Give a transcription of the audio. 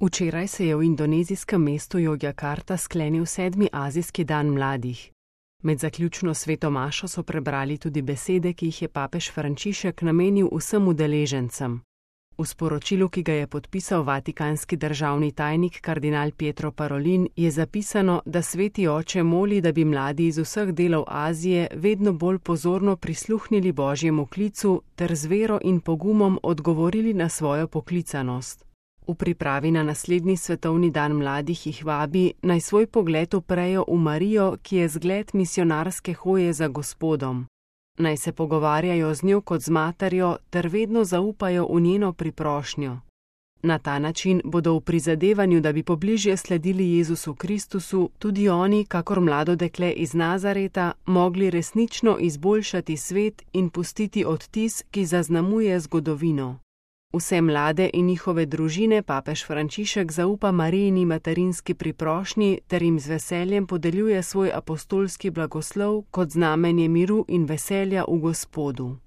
Včeraj se je v indonezijskem mestu Jogjakarta sklenil 7. azijski dan mladih. Med zaključno sveto mašo so prebrali tudi besede, ki jih je papež Frančišek namenil vsem udeležencem. V sporočilu, ki ga je podpisal vatikanski državni tajnik kardinal Pietro Parolin, je zapisano, da sveti oče moli, da bi mladi iz vseh delov Azije vedno bolj pozorno prisluhnili Božjemu klicu ter z vero in pogumom odgovorili na svojo poklicanost. V pripravi na naslednji svetovni dan mladih jih vabi, naj svoj pogled uprejo v Marijo, ki je zgled misionarske hoje za Gospodom. Naj se pogovarjajo z njo kot z materjo ter vedno zaupajo v njeno priprošnjo. Na ta način bodo v prizadevanju, da bi pobližje sledili Jezusu Kristusu, tudi oni, kakor mlado dekle iz Nazareta, mogli resnično izboljšati svet in pustiti odtis, ki zaznamuje zgodovino. Vse mlade in njihove družine papež Frančišek zaupa Marijini materinski priprošnji ter jim z veseljem podeljuje svoj apostolski blagoslov kot znamenje miru in veselja v Gospodu.